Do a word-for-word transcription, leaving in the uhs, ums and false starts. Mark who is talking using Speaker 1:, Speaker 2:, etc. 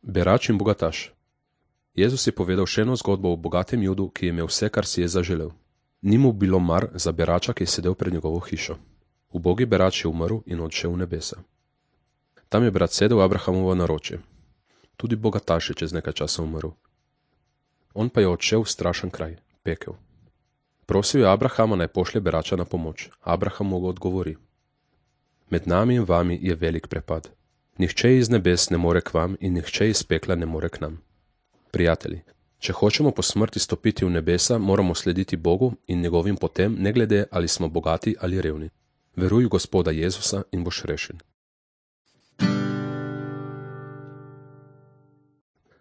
Speaker 1: Berač in bogataš. Jezus je povedal še eno zgodbo o bogatem Judu, ki je imel vse, kar si je zaželel. Ni mu bilo mar za berača, ki je sedel pred njegovo hišo. Ubogi berač je umrl in odšel v nebesa. Tam je brat sedel Abrahamovo naročje. Tudi bogataš je čez nekaj časa umrl. On pa je odšel v strašen kraj, pekel. Prosil je Abrahama, naj pošlje berača na pomoč. Abraham mu odgovori: Med nami in vami je velik prepad. Nihče iz nebes ne more k vam in nihče iz pekla ne more k nam. Prijatelji, če hočemo po smrti stopiti v nebesa, moramo slediti Bogu in njegovim potem, ne glede ali smo bogati ali revni. Veruj v Gospoda Jezusa in boš rešen.